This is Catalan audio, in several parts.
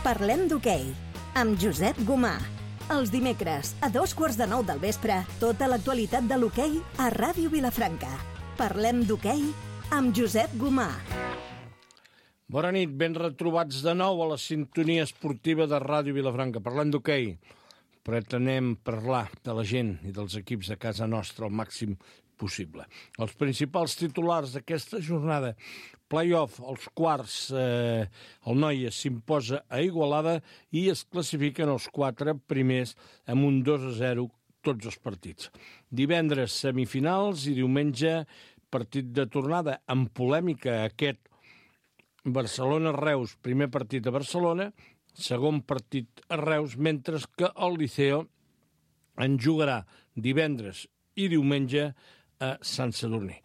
Parlem d'hoquei, amb Josep Gomà. Els dimecres, a 8:45 del vespre, tota l'actualitat de l'hoquei a Ràdio Vilafranca. Parlem d'hoquei amb Josep Gomà. Bona nit, ben retrobats de nou a la sintonia esportiva de Ràdio Vilafranca. Parlem d'hoquei. Pretenem parlar de la gent i dels equips de casa nostra al màxim possible. Els principals titulars d'aquesta jornada: play-off, els quarts, el Noia s'imposa a Igualada i es classifiquen els 4 primers amb un 2-0 tots els partits. Divendres, semifinals, i diumenge, partit de tornada amb polèmica aquest Barcelona-Reus, primer partit a Barcelona, segon partit a Reus, mentre que el Liceo en jugarà divendres i diumenge a Sant Sadurní.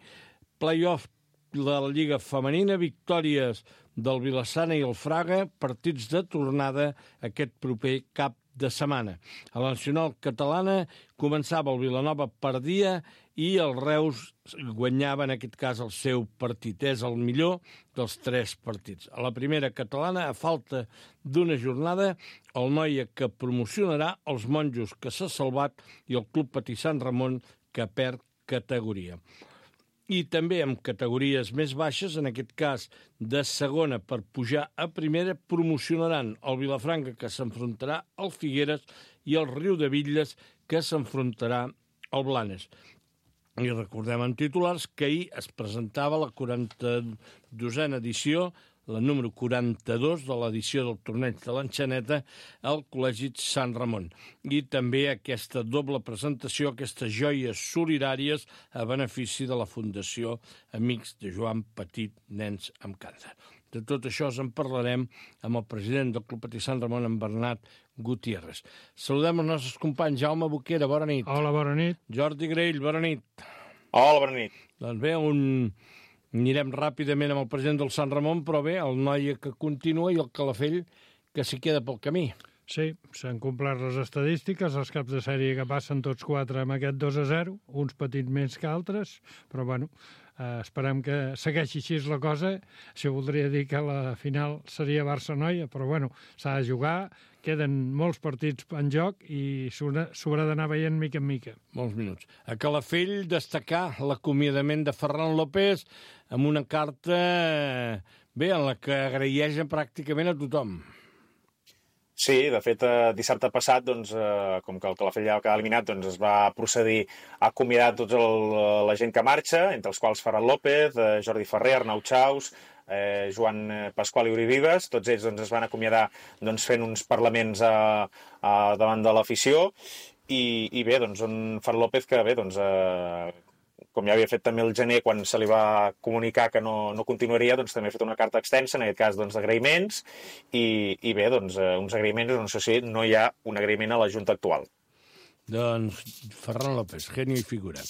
Play-off de la Lliga Femenina, victòries del Vilassana i el Fraga, partits de tornada aquest proper cap de setmana. A la nacional catalana començava el Vilanova, perdia, i el Reus guanyava, en aquest cas, el seu partit. És el millor dels 3 partits. A la primera catalana, a falta d'una jornada, el Noia, que promocionarà, els Monjos, que s'ha salvat, i el Club Patí Sant Ramon, que perd categoria. I també amb categories més baixes, en aquest cas de segona per pujar a primera, promocionaran el Vilafranca, que s'enfrontarà al Figueres, i el Riudebitlles, que s'enfrontarà al Blanes. I recordem en titulars que ahir es presentava la 42a edició, la número 42 de l'edició del torneig de l'Enxaneta al Col·legi Sant Ramon. I també aquesta doble presentació, aquestes joies solidàries a benefici de la Fundació Amics de Joan Petit, Nens amb Càncer. De tot això en parlarem amb el president del Club Patí Sant Ramon, en Bernat Gutiérrez. Saludem els nostres companys. Jaume Boquera, bona nit. Hola, bona nit. Jordi Grell, bona nit. Hola, bona nit. Doncs bé, anirem ràpidament amb el president del Sant Ramon, però bé, el Noia que continua i el Calafell que s'hi queda pel camí. Sí, s'han complert les estadístiques, els caps de sèrie que passen tots 4 amb aquest 2-0, uns petits més que altres, però bueno, esperem que segueixi així la cosa. Això voldria dir que la final seria Barça-Noia, però bueno, s'ha de jugar, queden molts partits en joc i s'haurà d'anar veient mica en mica. Molts minuts. A Calafell destacar l'acomiadament de Ferran López amb una carta, bé, en la que agraeixen pràcticament a tothom. Sí, de fet, dissabte passat, doncs, com que el Calafell ja va quedar eliminat, doncs es va procedir a acomiadar tota la gent que marxa, entre els quals Ferran López, Jordi Ferrer, Arnau Chaus, Joan Pasqual i Uri Vives. Tots ells doncs, es van acomiadar doncs, fent uns parlaments davant de l'afició. I bé, doncs, Ferran López, que bé, doncs, com ja havia fet també el gener quan se li va comunicar que no continuaria, doncs també ha fet una carta extensa, en aquest cas doncs, d'agraïments, i bé, doncs, uns agraïments, no sé si no hi ha un agraïment a la Junta actual. Doncs Ferran López, genio i figura.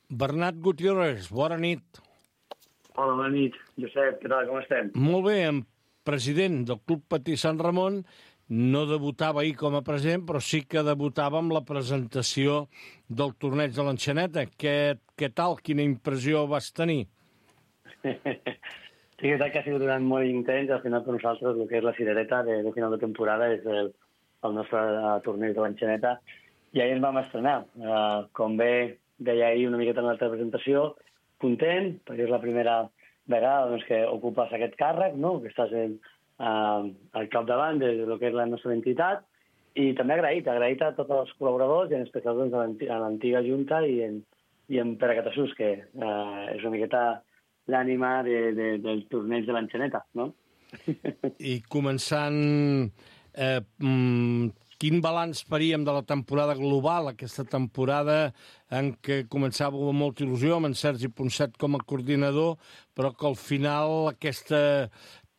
Bernat Gutiérrez, bona nit. Hola, bona nit. Josep, què tal, com estem? Molt bé, en president del Club Patí Sant Ramon. No debutava ahir com a president, però sí que debutava amb la presentació del torneig de l'Enxaneta. Què tal? Quina impressió vas tenir? Sí, és veritat que ha sigut molt intens. Al final, per nosaltres, el que és la cirereta de final de temporada és el nostre torneig de l'Enxaneta. I ahir ens vam estrenar. Com bé deia ahir una miqueta en l'altra presentació, content, perquè és la primera vegada doncs, que ocupes aquest càrrec, no? Que estàs al capdavant de lo que és la nostra entitat, i també agraït a tots els col·laboradors, i en especial doncs, a l'antiga Junta i en Pere Catassús, que és una miqueta l'ànima del torneig de l'Enxaneta, no? I començant, quin balanç faríem de la temporada global, aquesta temporada en què començava amb molta il·lusió, amb en Sergi Ponset com a coordinador, però que al final aquesta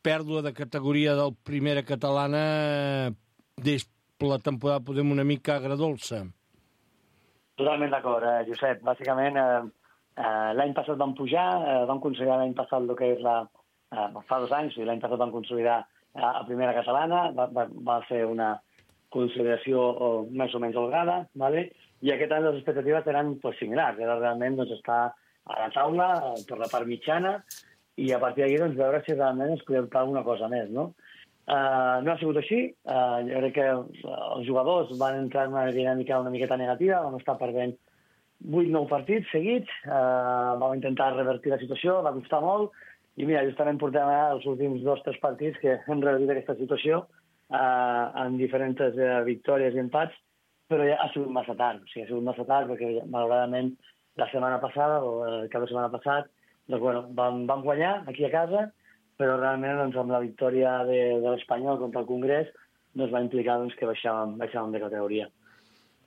pèrdua de categoria del primera catalana des la temporada podem una mica agradolça. Totalment d'acord, Josep. Bàsicament, l'any passat vam pujar, vam consolidar l'any passat el que és fa 2 anys, l'any passat vam consolidar a primera catalana, va ser una consolidació més o menys holgada, ¿vale? I aquest any les expectatives eren similars, era realment estar a la taula per la part mitjana, i a partir d'aquí veure si realment es podia optar alguna cosa més, no? No ha sigut així. Jo crec que els jugadors van entrar en una dinàmica una miqueta negativa, vam estar perdent 8-9 partits seguits, vam intentar revertir la situació, va costar molt, i mira, justament portem els últims 2-3 partits que hem revertit aquesta situació en diferents victòries i empats, però ja ha sigut massa tard. O sigui, ha sigut massa tard perquè, malauradament, la setmana passada, o el cap de setmana passat, doncs, bueno, vam guanyar aquí a casa, però realment doncs, amb la victòria de l'Espanyol contra el Congrés doncs, va implicar doncs, que baixàvem de categoria.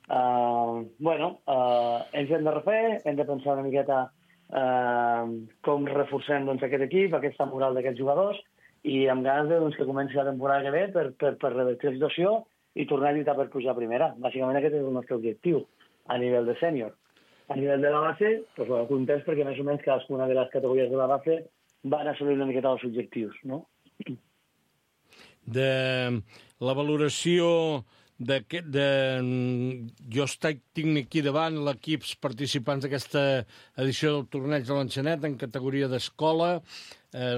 Ens hem de refer, hem de pensar una miqueta com reforcem doncs, aquest equip, aquesta moral d'aquests jugadors, i amb ganes de, doncs, que comenci la temporada que ve per revertir la situació i tornar a lluitar per pujar a primera. Bàsicament aquest és el nostre objectiu a nivell de sènior. A nivell de la base, doncs, bueno, contents perquè més o menys cadascuna de les categories de la base van assolir una miqueta els objectius, no? De la valoració jo tinc aquí davant l'equips participants d'aquesta edició del torneig de l'Enxanet en categoria d'escola,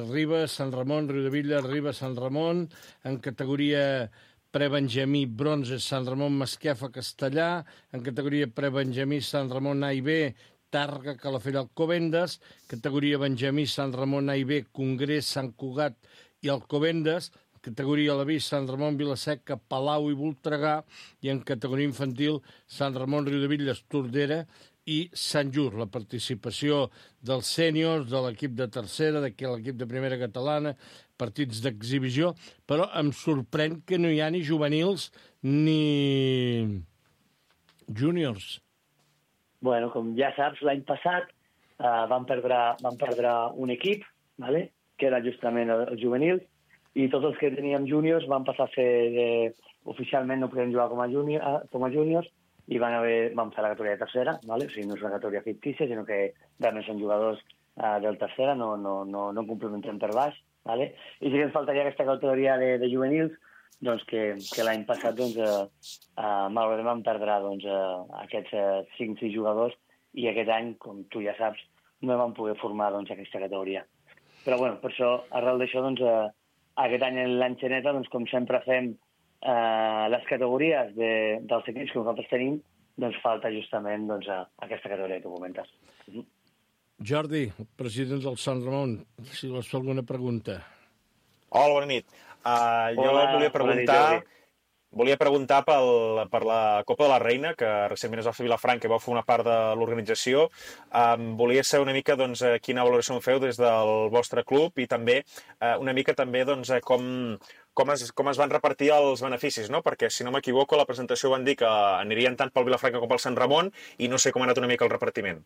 Ribes, Sant Ramon, Riudavilla, Ribes, Sant Ramon, en categoria prebenjamí, bronze, Sant Ramon, Masquefa, Castellà, en categoria prebenjamí, Sant Ramon, A i B, Tàrrega, Calafell, Alcobendes, categoria benjamí, Sant Ramon, A i B, Congrés, Sant Cugat i Alcobendes, categoria Alavís, Sant Ramon, Vilaseca, Palau i Voltregà, i en categoria infantil, Sant Ramon, Riudevilles, Tordera i Sant Just. La participació dels sèniors, de l'equip de tercera, de l'equip de primera catalana, partits d'exhibició, però em sorprèn que no hi ha ni juvenils ni júniors. Bueno, com ja saps, l'any passat vam perdre un equip, ¿vale? Que era justament els juvenils, i tots els que teníem júniors van passar a ser... Oficialment no podem jugar com a júniors i vam fer la categoria de tercera, ¿vale? O sigui, no és una categoria fictícia, sinó que realment són jugadors del tercera, no complementem per baix, ¿vale? I sí que ens faltaria aquesta categoria de juvenils, doncs que l'any passat malauradament vam perdre aquests 5-6 jugadors i aquest any, com tu ja saps, no vam poder formar aquesta categoria. Però bueno, per això, arrel d'això, aquest any en l'Enxaneta, com sempre fem les categories dels equips que nosaltres tenim, doncs falta justament aquesta categoria que tu comentes. Jordi, president del Sant Ramon, si vols fer alguna pregunta. Hola, bona nit. Jo volia preguntar per la Copa de la Reina, que recentment es va fer a Vilafranca i va fer una part de l'organització. Volia saber una mica quina valoració en feu des del vostre club i també una mica també com es van repartir els beneficis, no? Perquè, si no m'equivoco, a la presentació van dir que anirien tant pel Vilafranca com pel Sant Ramon i no sé com ha anat una mica el repartiment.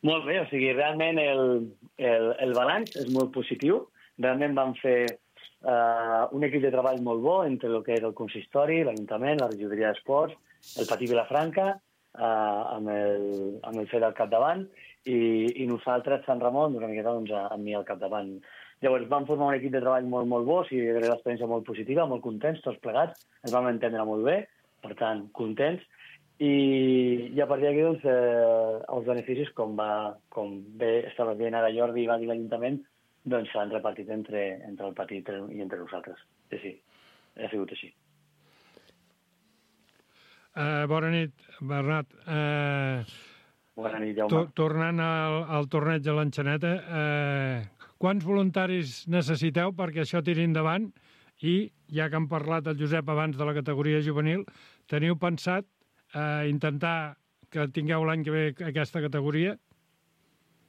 Molt bé, o sigui, realment el balanç és molt positiu. Realment vam fer un equip de treball molt bo entre el que era el consistori, l'Ajuntament, la regidoria d'Esports, el Patí Vilafranca, amb el FED al capdavant, i nosaltres, Sant Ramon, una miqueta amb mi al capdavant. Llavors vam formar un equip de treball molt, molt bo, o sigui, era una experiència molt positiva, molt contents, tots plegats, ens vam entendre molt bé, per tant, contents, i a partir d'aquí, els beneficis, com bé estava dient ara Jordi i va dir l'Ajuntament, s'han repartit entre el Petit i entre nosaltres. Sí, ha sigut així. Bona nit, Bernat. Bona nit, Jaume. Tornant al torneig de l'Enxaneta, quants voluntaris necessiteu perquè això tiri endavant? I, ja que han parlat el Josep abans de la categoria juvenil, teniu pensat intentar que tingueu l'any que ve aquesta categoria?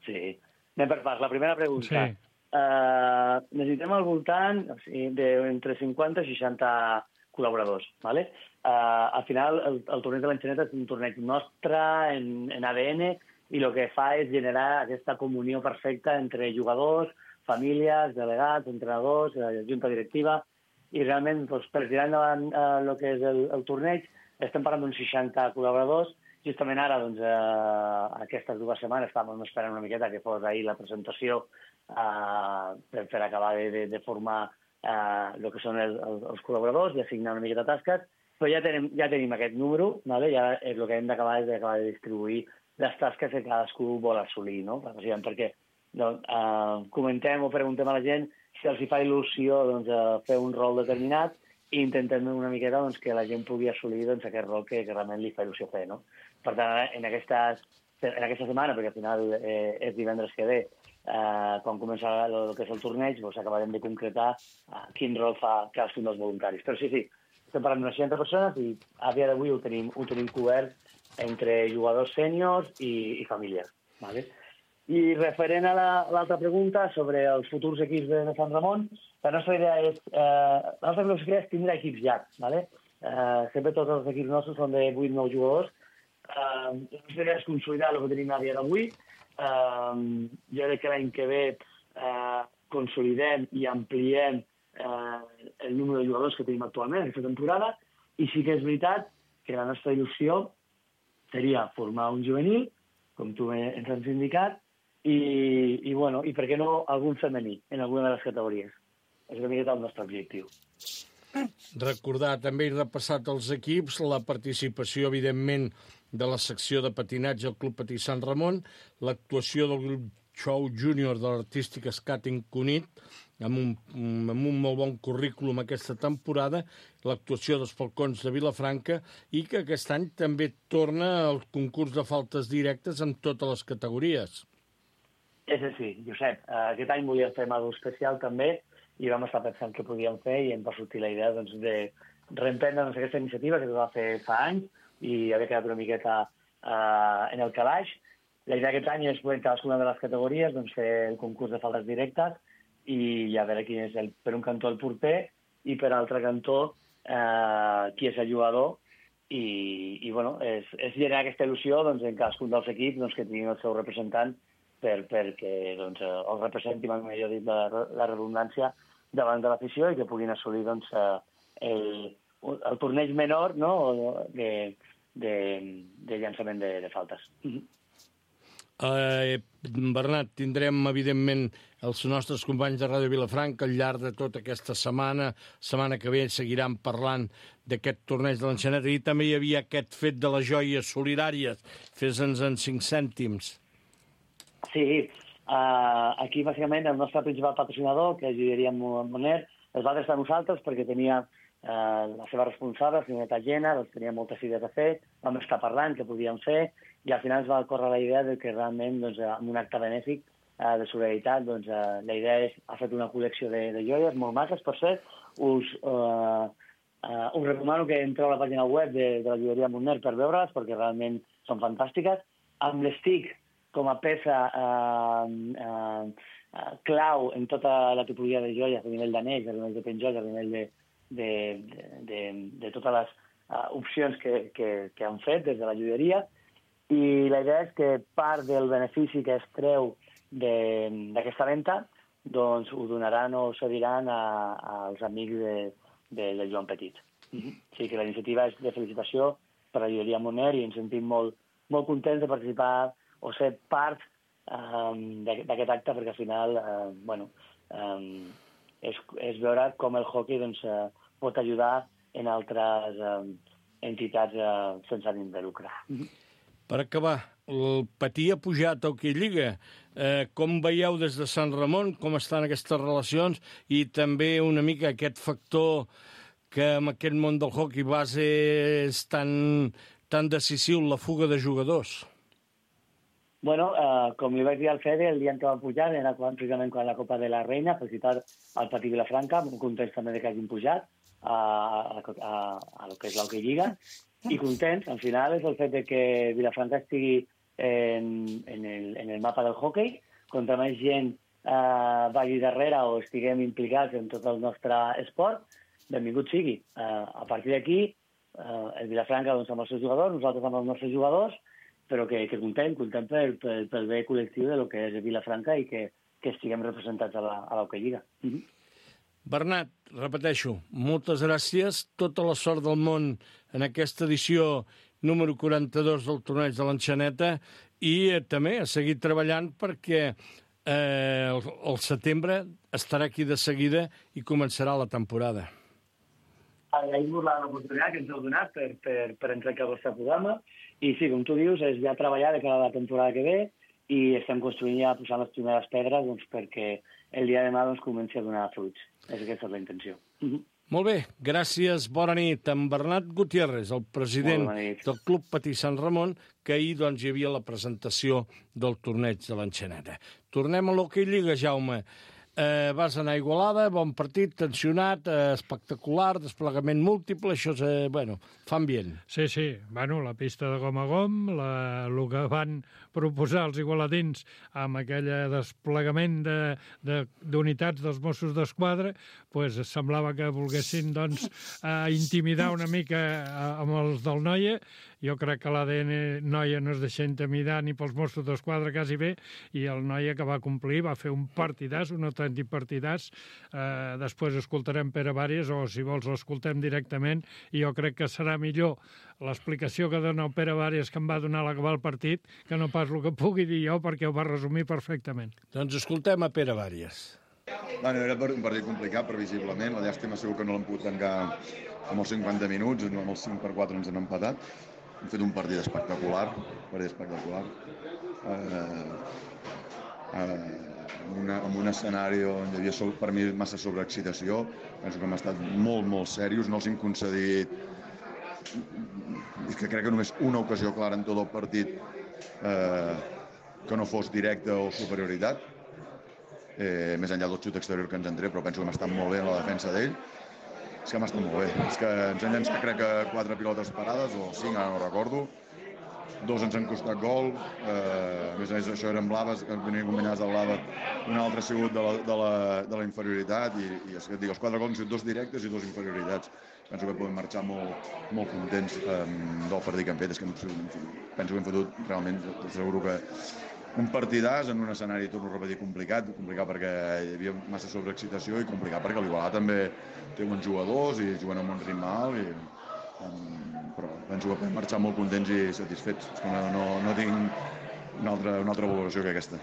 Sí. Anem per parts. La primera pregunta. Sí. Necessitem al voltant d'entre 50 i 60 col·laboradors. ¿Vale? Al final, el torneig de l'Enxaneta és un torneig nostre, en ADN, i el que fa és generar aquesta comunió perfecta entre jugadors, famílies, delegats, entrenadors, junta directiva, i realment per tirar endavant el que és el torneig estem parlant d'uns 60 col·laboradors. Justament ara, aquestes 2 setmanes estàvem esperant una miqueta que fos ahir la presentació per acabar de formar el que són els col·laboradors i assignar una miqueta tasques, però ja tenim aquest número, ja el que hem d'acabar és d'acabar de distribuir les tasques que cadascú vol assolir, no? Perquè comentem o preguntem a la gent si els hi fa il·lusió doncs, fer un rol determinat i intentem una miqueta doncs, que la gent pugui assolir doncs, aquest rol que realment li fa il·lusió fer. No? Per tant, en aquesta setmana, perquè al final és divendres que ve, quan comença el que és el torneig, doncs acabarem de concretar quin rol fa cadascun dels voluntaris. Però sí, estem parlant d'unes 60 persones i a dia d'avui ho tenim cobert entre jugadors sèniors i famílies. Vale? I referent a l'altra pregunta sobre els futurs equips de Sant Ramon, la nostra idea és tindre equips llargs. Vale? Sempre tots els equips nostres són de 8-9 jugadors. La nostra idea és consolidar el que tenim a dia d'avui. Jo crec que l'any que ve consolidem i ampliem el número de jugadors que tenim actualment en aquesta temporada, i sí que és veritat que la nostra il·lusió seria formar un juvenil, com tu ens has indicat, i per què no algun femení en alguna de les categories. És una miqueta el nostre objectiu. Recordar també i repassat els equips, la participació, evidentment, de la secció de patinatge al Club Patí Sant Ramon, l'actuació del grup Show Júnior de l'Artístic Skating Cunit, amb un molt bon currículum aquesta temporada, l'actuació dels Falcons de Vilafranca, i que aquest any també torna el concurs de faltes directes en totes les categories. És així, Josep. Aquest any volíem fer alguna especial també i vam estar pensant què podíem fer i em va sortir la idea doncs, de reemprendre aquesta iniciativa que es va fer fa anys i havia quedat una miqueta en el calaix. La idea aquest any és en cadascuna de les categories doncs, fer el concurs de faltes directes i a veure quin és per un cantó el porter i per altre cantó qui és el jugador i és generar aquesta il·lusió doncs, en cadascun dels equips doncs, que tinguin el seu representant perquè doncs, els representi, millor dit, la redundància davant de l'afició i que puguin assolir doncs, el torneig menor no? de llançament de faltes. Bernat, tindrem, evidentment, els nostres companys de Ràdio Vilafranca al llarg de tota aquesta setmana que ve seguiran parlant d'aquest torneig de l'Enxaneta, i també hi havia aquest fet de les joies solidàries. Fes-nos en 5 cèntims. Sí, aquí bàsicament el nostre principal patrocinador, que és Joieria Moner, es va adreçar a nosaltres perquè tenia la seva responsable, la senyora Tallena, doncs tenia moltes idees a fer, vam estar parlant què podíem fer, i al final es va córrer la idea de que realment, doncs, amb un acte benèfic de solidaritat, doncs, la idea ha fet una col·lecció de joies molt maques, per cert. Us recomano que entreu a la pàgina web de la Joieria Moner per veure-les, perquè realment són fantàstiques. Amb l'estick com a peça clau en tota la tipologia de joies, a nivell d'anells, a nivell de penjolls, a nivell de totes les opcions que han fet des de la joieria. I la idea és que part del benefici que es treu d'aquesta venda doncs ho donaran o cediran als amics de Joan Petit. O sigui que la iniciativa és de felicitació per la Joieria Moner i ens sentim molt contents de participar o ser part d'aquest acte, perquè al final és veure com el hockey doncs, pot ajudar en altres entitats sense ànim de lucre. Per acabar, el Patí ha pujat a Hockey Lliga. Com veieu des de Sant Ramon, com estan aquestes relacions i també una mica aquest factor que en aquest món del hockey base és tan decisiu, la fuga de jugadors? Bueno, com li vaig dir al Fede, el dia en què vam pujar era precisament quan la Copa de la Reina, felicitar al Patí Vilafranca, molt contents també que hagin pujat a lo que és l'Hockey Lliga, i contents, al final, és el fet de que Vilafranca estigui en el mapa del hockey, contra més gent vagi darrere o estiguem implicats en tot el nostre esport, benvingut sigui. A partir d'aquí, el Vilafranca doncs, amb els seus jugadors, nosaltres amb els nostres jugadors, però que contem pel bé col·lectiu de lo que és Vilafranca i que estiguem representats a l'Hockey Lliga. Bernat, repeteixo, moltes gràcies, tota la sort del món en aquesta edició número 42 del torneig de l'Enxaneta i també a seguir treballant perquè el setembre estarà aquí de seguida i començarà la temporada. Agraïm-vos l'oportunitat que ens heu donat per entrar al vostre programa. I sí, com tu dius, és ja treballar de cara a la temporada que ve i estem construint ja, posant les primeres pedres doncs, perquè el dia de demà doncs, comenci a donar fruits. Aquesta és la intenció. Molt bé, gràcies, bona nit. En Bernat Gutiérrez, el president del Club Patí Sant Ramon, que ahir doncs, hi havia la presentació del torneig de l'Enxaneta. Tornem a l'Hockey Lliga, Jaume. Vas anar a Igualada, bon partit, tensionat, espectacular, desplegament múltiple, això fa ambient. Sí, la pista de gom a gom, el que van proposar els igualadins amb aquell desplegament d'unitats dels Mossos d'Esquadra, doncs semblava que volguessin intimidar una mica amb els del Noia. Jo crec que l'ADN Noia no es deixa intimidar ni pels Mossos d'Esquadra quasi bé, i el Noia que va complir va fer un partidàs, un autèntic partidàs. Després escoltarem Pere Vàries, o si vols l'escoltem directament, i jo crec que serà millor l'explicació que dona el Pere Vàries, que em va donar a l'acabar el partit, que no pas el que pugui dir jo, perquè ho va resumir perfectament. Doncs escoltem a Pere Vàries. Era un partit complicat, previsiblement. La llàstima segur que no l'hem pogut tancar amb els 50 minuts, amb els 5-4 ens han empatat. Hem fet un partit espectacular, amb un escenari on hi havia per mi massa sobreexcitació. Penso que hem estat molt serios, no els hem concedit, que crec que només una ocasió clara en tot el partit que no fos directa o superioritat, més enllà del xut exterior que ens en tret, però penso que hem estat molt bé en la defensa d'ell. És que hem estat molt bé. És que ens han llançat, crec que 4 pilotes parades, o 5, ara no recordo. 2 ens han costat gol. A més, això eren blaves, que venien combinades de blava. Un altre ha sigut de la inferioritat. I és que et dic, els 4 gols han sigut 2 directes i 2 inferioritats. Penso que podem marxar molt contents del partit que hem fet. És que penso que hem fotut realment, asseguro que un partidàs en un escenari, torno a repetir, complicat perquè hi havia massa sobreexcitació, i complicat perquè l'Igualada també té bons jugadors i juguen amb un ritme alt, però penso que podem marxar molt contents i satisfets. És que no tinc una altra valoració que aquesta.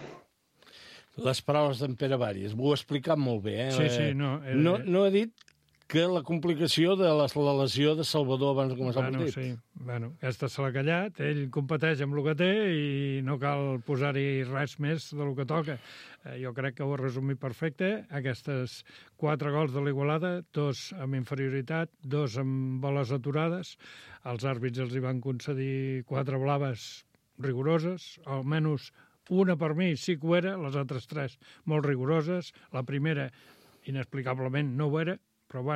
Les paraules d'en Pere Vàries, ho ha explicat molt bé. Sí, no ha dit que la complicació de la lesió de Salvador abans de començar el partit. Sí, aquesta se l'ha callat, ell competeix amb el que té i no cal posar-hi res més del que toca. Jo crec que ho ha resumit perfecte. Aquestes 4 gols de l'Igualada, 2 amb inferioritat, 2 amb boles aturades. Els àrbits els hi van concedir 4 blaves rigoroses, almenys una per mi sí que ho era, les altres 3 molt rigoroses. La primera, inexplicablement, no ho era, però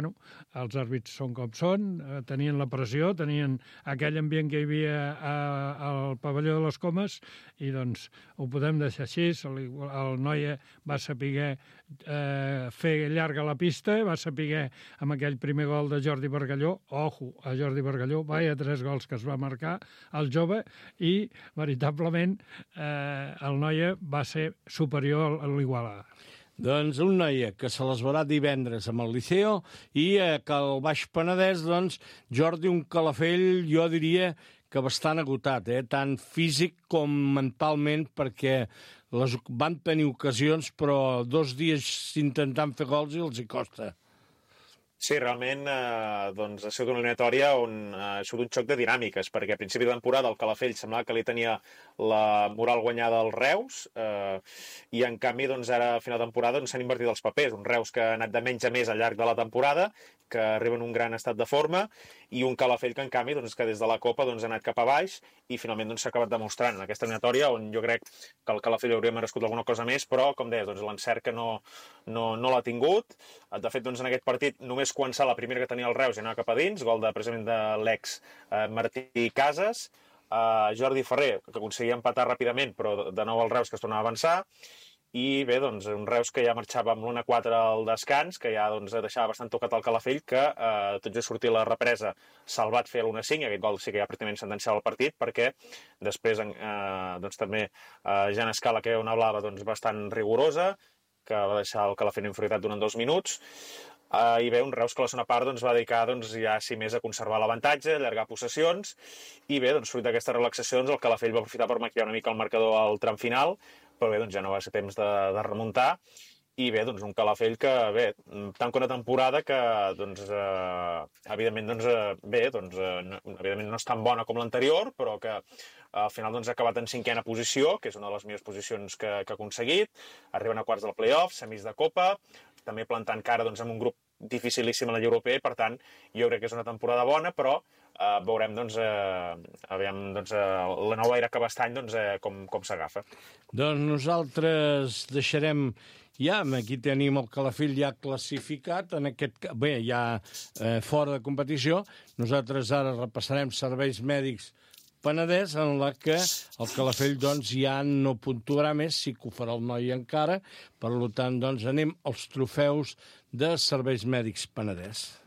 els àrbits són com són, tenien la pressió, tenien aquell ambient que hi havia al pavelló de les Comes, i doncs ho podem deixar així. El Noia va saber fer llarga la pista, va saber amb aquell primer gol de Jordi Bargalló, ojo, a Jordi Bargalló, vaya 3 gols que es va marcar el jove, i veritablement el Noia va ser superior a l'Igualada. Doncs un Noia que se les veurà divendres amb el Liceo, i que al Baix Penedès, doncs, Jordi, un Calafell, jo diria que bastant agotat, tant físic com mentalment, perquè van tenir ocasions, però 2 dies intentant fer gols i els hi costa. Sí, realment ha sigut una eliminatòria on ha sigut un xoc de dinàmiques, perquè a principi de temporada el Calafell semblava que li tenia la moral guanyada als Reus, i en canvi ara a final de temporada s'han invertit els papers. Un Reus que ha anat de menys a més al llarg de la temporada, que arriba en un gran estat de forma, i un Calafell que en canvi que des de la Copa ha anat cap a baix i finalment s'ha acabat demostrant en aquesta eliminatòria, on jo crec que el Calafell hauria merescut alguna cosa més, però com deies, l'encert que no l'ha tingut. De fet, en aquest partit només començar la primera que tenia el Reus i anar cap a dins, gol precisament de l'ex Martí Casas, Jordi Ferrer, que aconseguia empatar ràpidament, però de nou el Reus que es tornava a avançar, i bé, un Reus que ja marxava amb l'1-4 al descans, que ja deixava bastant tocat el Calafell, que tot just sortir la represa salvat fer l'1-5, i aquest gol sí que ja pràcticament sentenciava el partit, perquè després també Jan Escala, que era una blava bastant rigorosa, que va deixar el Calafell en inferioritat durant 2 minuts, i bé, un Reus que a la segona part va dedicar ja sí més a conservar l'avantatge, allargar possessions, i bé, fruit d'aquestes relaxacions el Calafell va aprofitar per maquillar una mica el marcador al tram final, però bé, ja no va ser temps de remuntar, i bé, doncs un Calafell que, bé, tanca una temporada que, doncs, evidentment, evidentment no és tan bona com l'anterior, però que al final doncs, ha acabat en 5ª posició, que és una de les millors posicions que ha aconseguit, arriben a quarts del play-off, semis de Copa, també plantant cara doncs, amb un grup dificilíssim a la Lliga Europea, i per tant jo crec que és una temporada bona, però veurem doncs, la nova era que va estany doncs, com s'agafa. Doncs nosaltres deixarem ja, aquí tenim el Calafell ja classificat, en aquest, bé, ja fora de competició. Nosaltres ara repassarem serveis mèdics Penedès, en la que el Calafell doncs, ja no puntuarà més, sí que ho farà el noi encara, per tant, doncs, anem als trofeus de serveis mèdics Penedès.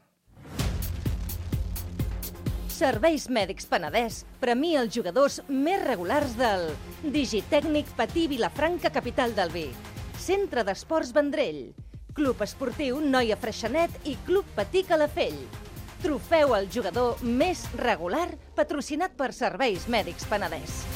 Serveis Mèdics Penedès premia els jugadors més regulars del Digitècnic Patí Vilafranca, capital del vi, Centre d'Esports Vendrell, Club Esportiu Noia Freixenet i Club Patí Calafell. Trofeu al jugador més regular patrocinat per Serveis Mèdics Penedès.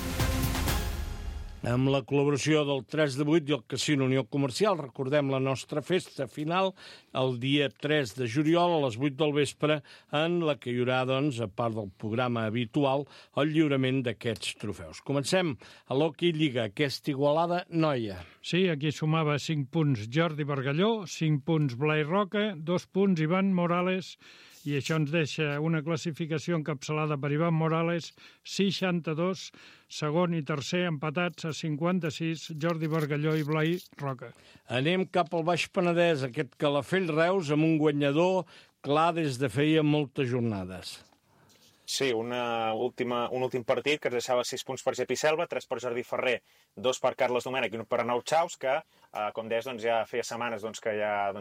Amb la col·laboració del 3 de 8 i el Casino Unió Comercial, recordem la nostra festa final el dia 3 de juliol a les 8 del vespre, en la que hi haurà, doncs, a part del programa habitual, el lliurament d'aquests trofeus. Comencem a l'Hockey Lliga, aquesta Igualada noia. Sí, aquí sumava 5 punts Jordi Bargalló, 5 punts Blai Roca, 2 punts Ivan Morales, i això ens deixa una classificació encapçalada per Ivan Morales, 62, segon i tercer empatats a 56, Jordi Bargalló i Blai Roca. Anem cap al Baix Penedès, aquest Calafell Reus, amb un guanyador clar des de feia moltes jornades. Sí, un últim partit que ens deixava 6 punts per Gepi Selva, 3 per Jordi Ferrer, 2 per Carles Domènech i 1 per Arnau Chaus, que, com deies, doncs, ja feia setmanes doncs, que ja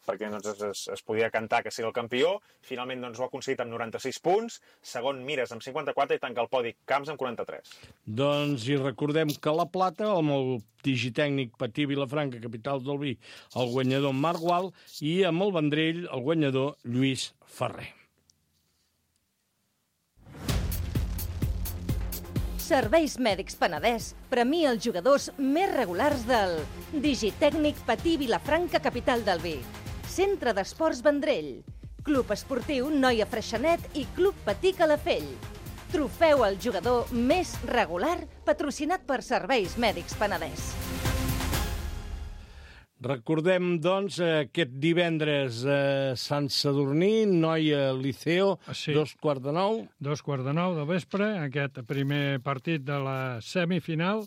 perquè es podia cantar que sigui el campió. Finalment doncs, ho ha aconseguit amb 96 punts, segon Mires amb 54 i tanca el podi Camps amb 43. Doncs i recordem que la plata, amb el Digitècnic Patí Vilafranca, capital del vi, el guanyador Marc Gual, i amb el Vendrell, el guanyador Lluís Ferrer. Serveis Mèdics Penedès premia els jugadors més regulars del Digitècnic Patí Vilafranca, capital del vi, Centre d'Esports Vendrell, Club Esportiu Noia Freixenet i Club Patí Calafell. Trofeu al jugador més regular patrocinat per Serveis Mèdics Penedès. Recordem, doncs, aquest divendres a Sant Sadurní, Noia Liceo, Sí. 8:45. 8:45 del vespre, aquest primer partit de la semifinal.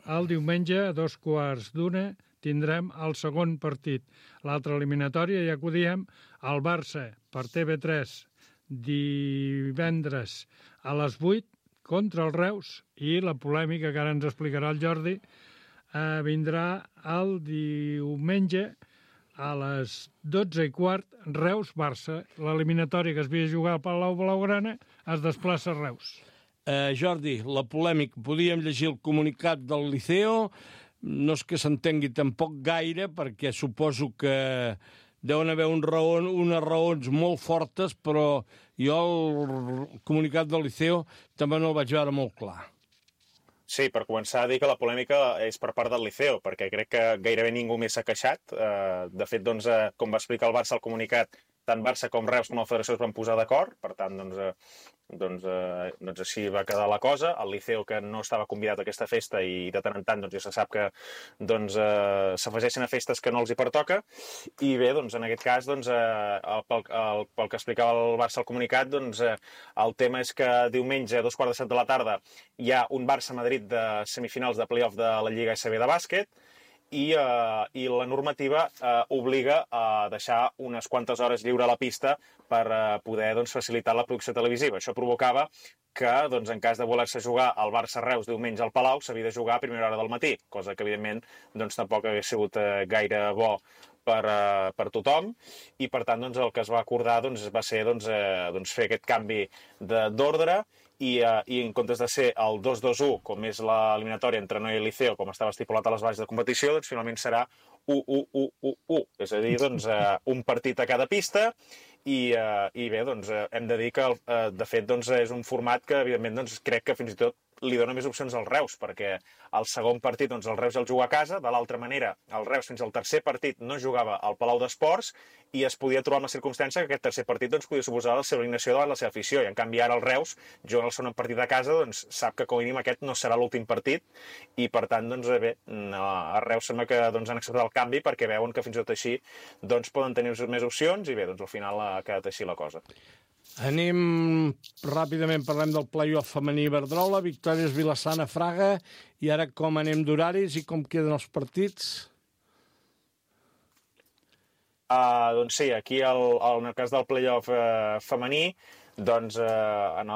El diumenge, a 14:15, tindrem el segon partit. L'altra eliminatòria, ja que ho diem, el Barça per TV3 divendres a les 8 contra el Reus, i la polèmica que ara ens explicarà el Jordi vindrà el diumenge a les 12:15, Reus-Barça. L'eliminatòria que es havia jugat al Palau Blaugrana es desplaça a Reus. Jordi, la polèmica, podíem llegir el comunicat del Liceo, no és que s'entengui tampoc gaire, perquè suposo que deuen haver unes raons molt fortes, però jo el comunicat del Liceo també no el vaig veure molt clar. Sí, per començar a dir que la polèmica és per part del Liceo, perquè crec que gairebé ningú més s'ha queixat. De fet, doncs, com va explicar el Barça al comunicat, tant Barça com Reus com la Federació es van posar d'acord, per tant, doncs així va quedar la cosa. El Liceo, que no estava convidat a aquesta festa, i de tant en tant doncs, ja se sap que doncs, s'afegeixen a festes que no els hi pertoca. I bé, doncs, en aquest cas, doncs, pel que explicava el Barça al comunicat, doncs, el tema és que diumenge a 2:15 de la tarda hi ha un Barça-Madrid de semifinals de play-off de la Lliga SB de bàsquet, i la normativa obliga a deixar unes quantes hores lliure a la pista per poder doncs, facilitar la producció televisiva. Això provocava que, doncs, en cas de voler-se jugar al Barça-Reus diumenge al Palau, s'havia de jugar a primera hora del matí, cosa que, evidentment, doncs, tampoc hagués sigut gaire bo per tothom, i, per tant, doncs, el que es va acordar doncs, va ser fer aquest canvi d'ordre, i en comptes de ser el 2-2-1, com és l'eliminatòria entre Noia i Liceo, com estava estipulat a les bases de competició, doncs finalment serà 1-1-1-1-1. És a dir, doncs, un partit a cada pista, i bé, doncs, hem de dir que, de fet, doncs, és un format que, evidentment, doncs, crec que fins i tot li dona més opcions al Reus, perquè el segon partit doncs, el Reus ja el juga a casa, de l'altra manera el Reus fins al tercer partit no jugava al Palau d'Esports i es podia trobar amb la circumstància que aquest tercer partit doncs, podia suposar la seva eliminació davant la seva afició, i en canvi ara el Reus, jugant el segon partit a casa, doncs, sap que com a mínim aquest no serà l'últim partit i per tant doncs, bé, a Reus sembla que doncs, han acceptat el canvi perquè veuen que fins i tot així doncs, poden tenir més opcions i bé, doncs, al final ha quedat així la cosa. Anem ràpidament, parlem del play-off femení Iberdrola, victòries Vila-sana, Fraga, i ara com anem d'horaris i com queden els partits? Doncs sí, aquí en el cas del play-off femení, doncs en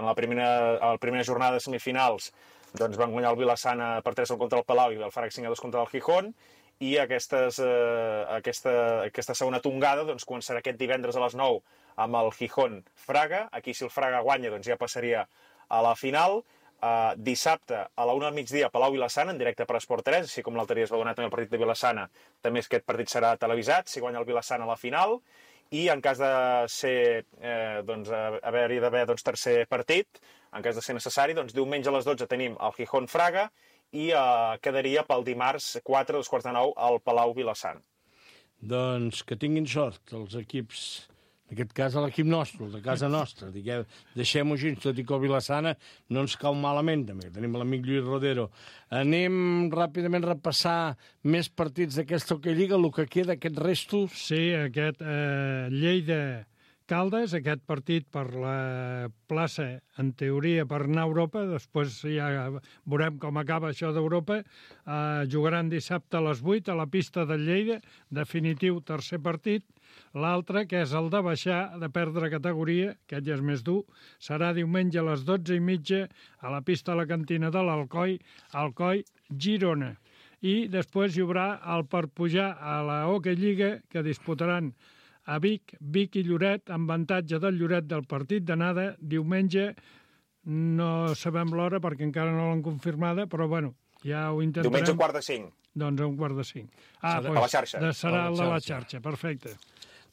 la primera jornada de semifinals doncs van guanyar el Vila-sana per 3 contra el Palau i el Fraga 5-2 contra el Gijón, i aquesta segona tongada doncs, començarà aquest divendres a les 9 amb el Gijón-Fraga. Aquí, si el Fraga guanya, doncs ja passaria a la final. Dissabte, a la 1 del migdia, Palau Vila-sana, en directe per Esport 3, així com l'altre dia es va donar també el partit de Vila-sana, també aquest partit serà televisat, si guanya el Vila-sana a la final. I en cas de ser, haver-hi tercer partit, en cas de ser necessari, doncs diumenge a les 12 tenim el Gijón-Fraga, i quedaria pel dimarts 4 2:45 al Palau Vila-sana. Doncs que tinguin sort els equips, en aquest cas l'equip nostre, el de casa nostra. Deixem-ho així, tot i que el Vila-sana no ens cau malament, també. Tenim l'amic Lluís Rodero. Anem ràpidament a repassar més partits d'aquesta Hockey Lliga, el que queda, aquests restos. Sí, aquest Lleida-Caldes, aquest partit per la plaça, en teoria, per anar a Europa, després ja veurem com acaba això d'Europa, jugaran dissabte a les 8 a la pista de Lleida, definitiu tercer partit. L'altre, que és el de baixar, de perdre categoria, aquest ja és més dur, serà diumenge a les 12:30 a la pista de la cantina de l'Alcoi, Alcoi-Girona. I després hi haurà el per pujar a la Hockey Lliga, que disputaran a Vic i Lloret, amb avantatge del Lloret del partit d'anada, diumenge, no sabem l'hora perquè encara no l'han confirmada, però bueno, ja ho intentarem. Diumenge 4:45. Doncs a 4:45. A la xarxa. Serà el de la xarxa, perfecte.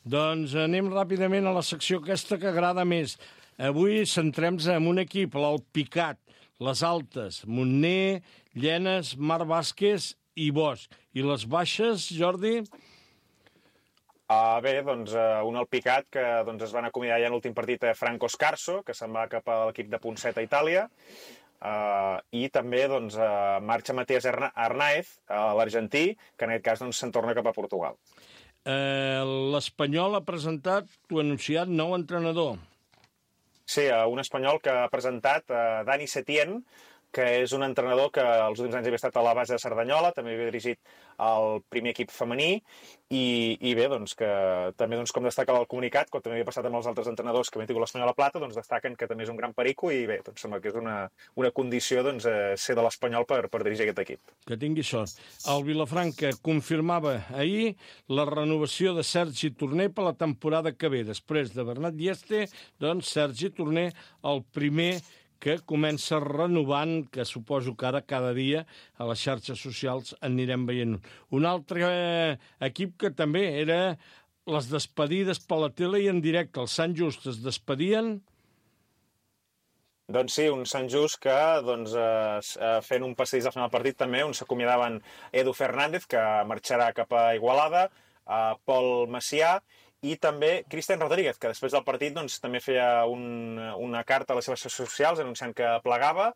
Doncs anem ràpidament a la secció aquesta que agrada més. Avui centrem-nos en un equip, l'Alpicat, les Altes, Montner, Llenes, Mar Vázquez i Bosch. I les baixes, Jordi? Bé, doncs un Alpicat que doncs, es van acomiadar ja en l'últim partit a Franco Scarso, que se'n va cap a l'equip de Ponceta a Itàlia, i també doncs, marxa Matías Arnaez, l'argentí, que en aquest cas doncs, se'n torna cap a Portugal. L'Espanyol ha presentat, tu anunciat, nou entrenador. Sí, un espanyol que ha presentat Dani Setién, que és un entrenador que els últims anys havia estat a la base de Cerdanyola, també havia dirigit el primer equip femení, i bé, doncs, que també, doncs, com destaca el comunicat, com també havia passat amb els altres entrenadors que havien tingut l'Espanyol a Plata, doncs destaquen que també és un gran perico i bé, doncs sembla que és una condició doncs, ser de l'Espanyol per dirigir aquest equip. Que tingui sort. El Vilafranca confirmava ahir la renovació de Sergi Torner per la temporada que ve. Després de Bernat Dieste, doncs Sergi Torner, el primer que comença renovant, que suposo que ara cada dia a les xarxes socials anirem veient. Un altre equip que també era les despedides per la tele i en directe. Els Sant Just es despedien? Doncs sí, un Sant Just que doncs, fent un passadís al final del partit també, on s'acomiadaven Edu Fernández, que marxarà cap a Igualada, Pol Macià, i també Cristian Rodríguez, que després del partit doncs, també feia una carta a les seves xarxes socials anunciant que plegava,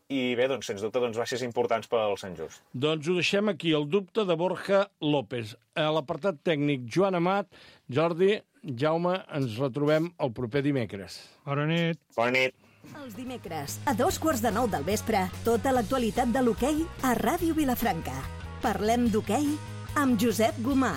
i bé, doncs, sens dubte, doncs, baixes importants pel Sant Just. Doncs ho deixem aquí, el dubte de Borja López. A l'apartat tècnic, Joan Amat, Jordi, Jaume, ens retrobem el proper dimecres. Bona nit. Bona nit. Els dimecres, a 9:15 del vespre, tota l'actualitat de l'hoquei a Ràdio Vilafranca. Parlem d'hoquei amb Josep Gomà.